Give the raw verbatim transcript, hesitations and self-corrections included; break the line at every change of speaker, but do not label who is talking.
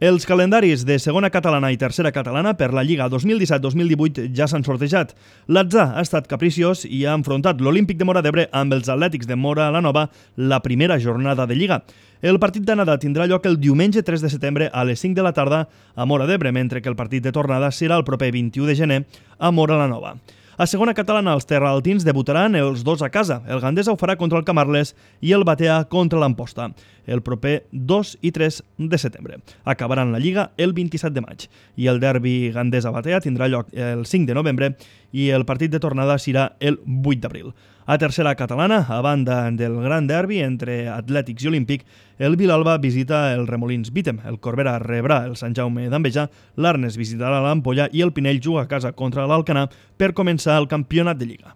Els calendaris de segona catalana i tercera catalana per la Lliga dos mil disset dos mil divuit ja s'han sortejat. L'atzar ha estat capriciós i ha enfrontat l'Olímpic de Móra d'Ebre amb els Atlètics de Móra la Nova la primera jornada de Lliga. El partit d'anada tindrà lloc el diumenge tres de setembre a les cinc de la tarda a Móra d'Ebre, mentre que el partit de tornada serà el proper vint-i-u de gener a Móra la Nova. A segona catalana, els terraltins debutaran els dos a casa. El Gandesa ho farà contra el Camarles i el Batea contra l'Amposta, el proper dos i tres de setembre. Acabaran la Lliga el vint-i-set de maig i el derbi Gandesa-Batea tindrà lloc el cinc de novembre i el partit de tornada serà el vuit d'abril. A tercera catalana, a banda del gran derbi entre Atlètics i Olímpic, el Vilalba visita el Remolins Bítem, el Corbera rebrà el Sant Jaume d'Enveja, l'Arnes visitarà l'Ampolla i el Pinell juga a casa contra l'Alcanar per començar el campionat de Lliga.